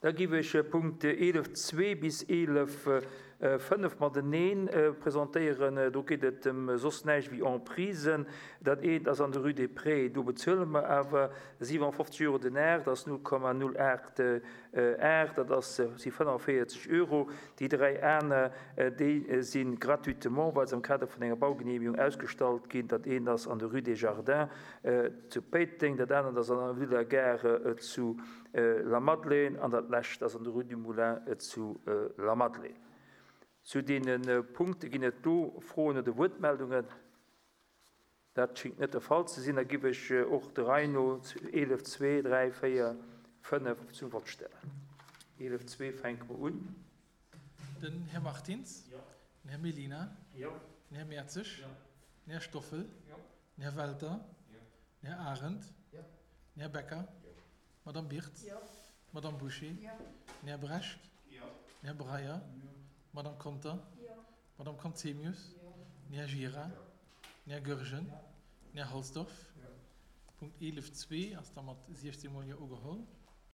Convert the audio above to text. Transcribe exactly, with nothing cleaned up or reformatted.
Da giff ech Punkt eelef zwee bis eelef fënnef mateneen presentéieren. Do geet et ëm soss näischt wéi Emprisen. Dat eent ass an der Rue des Prés, do bezuele mer awer siwenfofzeg Euro den Ar, dat ass null Komma null aacht Ar, dat ass, si fënnefenvéierzeg Euro. Déi dräi aner, déi si gratuitement, well se am Kader vun enger Baugenehmigung ausgestallt ginn. Dat eent ass an der Rue des Jardins zu Péiteng, dat anert ass an der Avenue de la Gare zu La Madeleine an dat lescht ass an der Rue du Moulin zu La Madeleine. Zu deene Punkte ginn et do Froen oder Wuertmeldungen? Dat schéngt net de Fall ze sinn. Da giff ech och de Rei no eelef, zwee, dräi, véier, fënnef zum Vott stellen. Eelef, zwee fänke mer un. Den Här Martins. Jo. Den Här Mellina. Jo. Den Här Mertzig. Jo. Den Här Stoffel. Jo. Den Här Welter. Jo. Den Här Arendt. Jo. Den Här Becker. Jo. D'Madame Birtz. Jo. D'Madame Bouché. Jo. Den Här Brecht. Jo. Den Här Breyer. Jo. D'Madame Conter. Jo. D'Madame Conzemius. Jo. Den Här Gira. Jo. Den Här Goergen. Jo. Den Här Halsdorf. Jo. Punkt eelef zwee ass da mat siechzéng Mol Jo ugeholl.